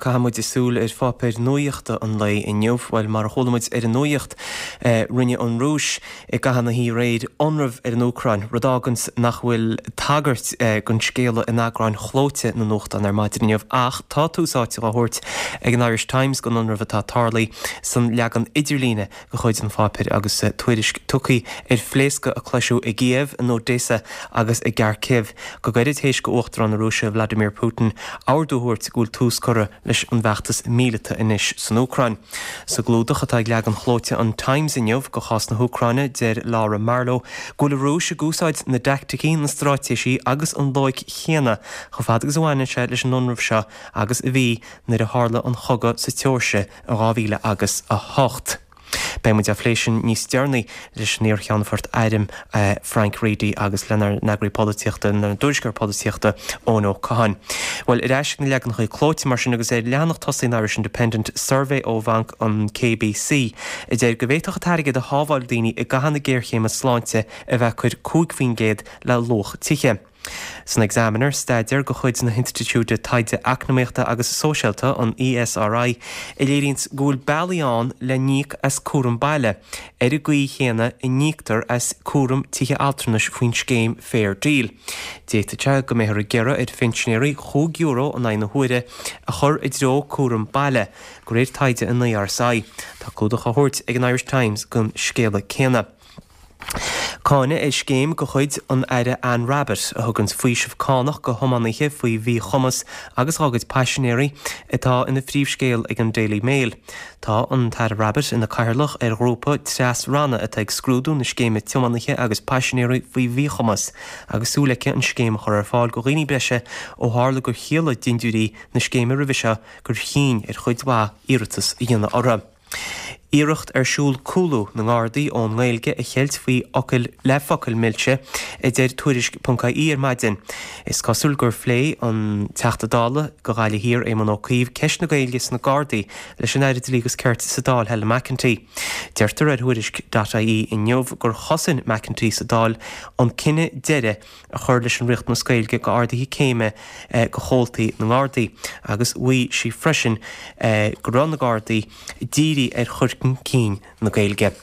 Caithfidh muid súil ar pháipéir nuaíochta an lae inniu. Bhuel, mar a chuala muid ar an nuaíocht, rinne an Rúis i gcaitheamh na hoíche aréir ionramh ar an Úcráin, rud a fháganns nach bhfuil tagairt don scéala in eagráin chlóite na nuachtán ar maidin inniu. Ach tá tús áite á thabhairt ag an Irish Times don ionramh atá tarlaithe san leagan idirlíne de chuid an pháipéir agus tuairisc tugtha ar phléascadh a cloiseadh i gCíév, in Odesa agus i gCarkiv go gairid théis do Uachtarán na Rúise Vladimir Putin ordú a thabhairt go bhfuil tús curtha leis an bhfeachtas míleata anois san Úcráin. Sa gclúdach atá ag leagan chlóite an Times inniu de chás na hÚcráine, deir Laura Marlowe go bhfuil an Rúis ag úsáid na dteaicticí, na straitéisí agus an loighic chéanna chomh fada agus a bhaineann sé leis an ionramh seo agus a bhí nuair a tharla an chogadh sa tSeoirsia in 2008. Beidh muid á phlé sin níos deireanaí leis an iar-Cheannfort Airm Frank Reidy agus lenár n-eagraí polaitíochta, lenár dtuairisceoir polaitíochta Eoin Ó Catháin. Bhuel, ar ais ag na leaganacha clóite mar sin agus ar leathanach tosaigh an Irish Independent, suirbhé ó bhanc an KBC a deir go bhféadfadh an t-airgead a shábháil daoine i gcaitheamh na géarchéime sláinte a bheith ag cur 5% le luach tithe. San Examiner, staidéar de chuid na hInstitiúide Taighde Eacnamaíochta agus Sóisialta, an ESRI, a léiríonns go bhfuil bealaí ann le n-íoc as cúram baile, ar an gcaoi chéanna a n-íoctar as cúram tithe altranais faoin scéim Fair Deal. D'fhéadfadh sé go mbeifear ag iarraidh ar phinsinéirí €5 in aghaidh na huaire a chur i dtreo cúram baile, de réir taighde an ERSI. Tá clúdach á thabhairt ag an Irish Times don scéala céanna. Cáineadh ar scéim de chuid an Aire Anne Rabbitte a thuganns faoiseamh cánach go thiománaithe faoi mhíchumas agus dhá gcuid paisinéirí atá ina phríomhscéal ag an Daily Mail. Tá an tAire Rabbitte ina cathaoirleach ar ghrúpa tras-ranna atá ag scrúdú na scéime tiománaithe agus paisinéirí faoi mhíchumas agus súil aici an scéim a chur ar fáil go dhaoine breise ó tharla gur chiallaigh dindiúirí na scéime roimhe seo gur chinn ar chuid mhaith iarratas a dhéanamh orthu. Iarracht ar siúl cúlú na nGardaí ón nGaeilge a cheilt faoi fhocail le focail milse, a deir Tuairisc ponc IE ar maidin. Is cosúil gur phléigh an Teachta Dála do Ghaillimh Thiar, Éamon Ó Cuív, ceist na Gaeilge sna Gardaí leis an Aire Dlí agus Cirt sa Dáil, Helen McEntee. Deirtear ar Thuairisc dot IE inniu gur chosain McEntee sa Dáil an cinneadh deireadh a chur leis an riachtanas Gaeilge go arduithe céime go chomhaltaí na nGardaí agus mhaígh sí freisin go raibh na Gardaí dírithe ar chur chun cinn na Gaeilge.